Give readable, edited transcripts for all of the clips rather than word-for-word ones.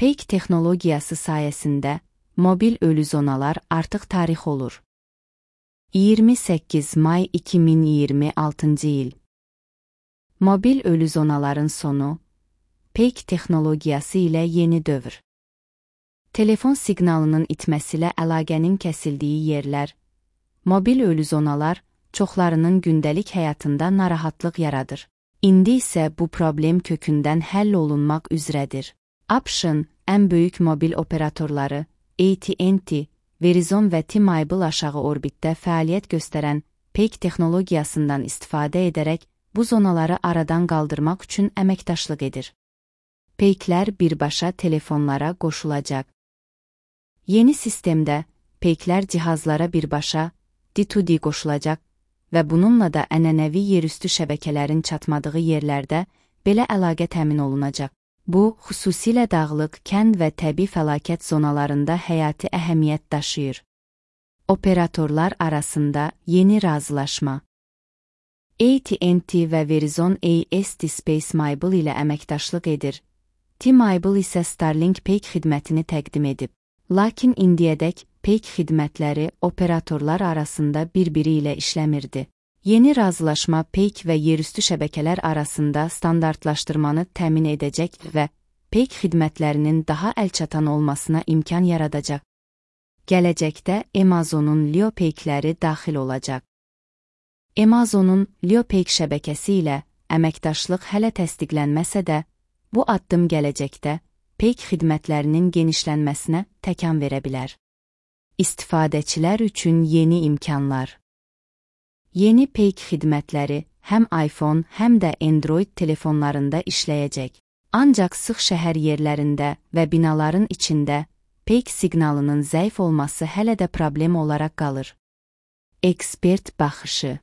Peak texnologiyası sayəsində mobil ölü zonalar artıq tarix olur. 28 may 2026 il. Mobil ölü zonaların sonu, Peak texnologiyası ilə yeni dövr. Telefon siqnalının itməsi ilə əlaqənin kəsildiyi yerlər, mobil ölü zonalar çoxlarının gündəlik həyatında narahatlıq yaradır. İndi isə bu problem kökündən həll olunmaq üzrədir. ABŞ-ın ən böyük mobil operatorları AT&T, Verizon və T-Mobile aşağı orbitdə fəaliyyət göstərən Peak texnologiyasından istifadə edərək bu zonaları aradan qaldırmaq üçün əməkdaşlıq edir. Peaklər birbaşa telefonlara qoşulacaq. Yeni sistemdə peaklər cihazlara birbaşa D2D qoşulacaq və bununla da ənənəvi yerüstü şəbəkələrin çatmadığı yerlərdə belə əlaqə təmin olunacaq. Bu, xüsusilə dağlıq, kənd və təbii fəlakət zonalarında həyati əhəmiyyət daşıyır. Operatorlar arasında yeni razılaşma. AT&T və Verizon AST SpaceMobile ilə əməkdaşlıq edir. T-Mobile isə Starlink Peak xidmətini təqdim edib. Lakin indiyədək Peak xidmətləri operatorlar arasında bir-biri ilə işləmirdi. Yeni razılaşma Peak və yerüstü şəbəkələr arasında standartlaşdırmanı təmin edəcək və Peak xidmətlərinin daha əlçatan olmasına imkan yaradacaq. Gələcəkdə Amazonun Leo Peakləri daxil olacaq. Amazonun Leo Peak şəbəkəsi ilə əməkdaşlıq hələ təsdiqlənməsə də, bu addım gələcəkdə Peak xidmətlərinin genişlənməsinə təkan verə bilər. İstifadəçilər üçün yeni imkanlar. Yeni Peak xidmətləri həm iPhone, həm də Android telefonlarında işləyəcək. Ancaq sıx şəhər yerlərində və binaların içində Peak siqnalının zəif olması hələ də problem olaraq qalır. Ekspert baxışı.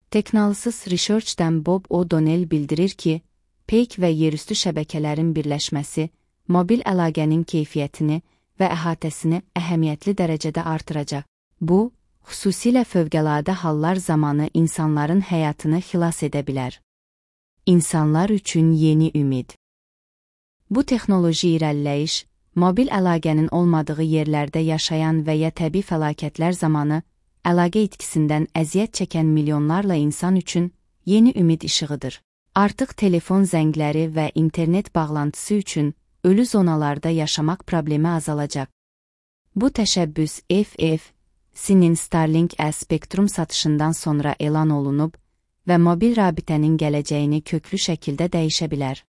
Technalysis Research'dən Bob O'Donnell bildirir ki, Peak və yerüstü şəbəkələrin birləşməsi mobil əlaqənin keyfiyyətini və əhatəsini əhəmiyyətli dərəcədə artıracaq. Bu, xüsusilə fövqəladə hallar zamanı insanların həyatını xilas edə bilər. İnsanlar üçün yeni ümid. Bu texnoloji irəliləyiş, mobil əlaqənin olmadığı yerlərdə yaşayan və ya təbii fəlakətlər zamanı əlaqə itkisindən əziyyət çəkən milyonlarla insan üçün yeni ümid işığıdır. Artıq telefon zəngləri və internet bağlantısı üçün ölü zonalarda yaşamaq problemi azalacaq. Bu təşəbbüs FCC-nin Starlink spektrum satışından sonra elan olunub və mobil rabitənin gələcəyini köklü şəkildə dəyişə bilər.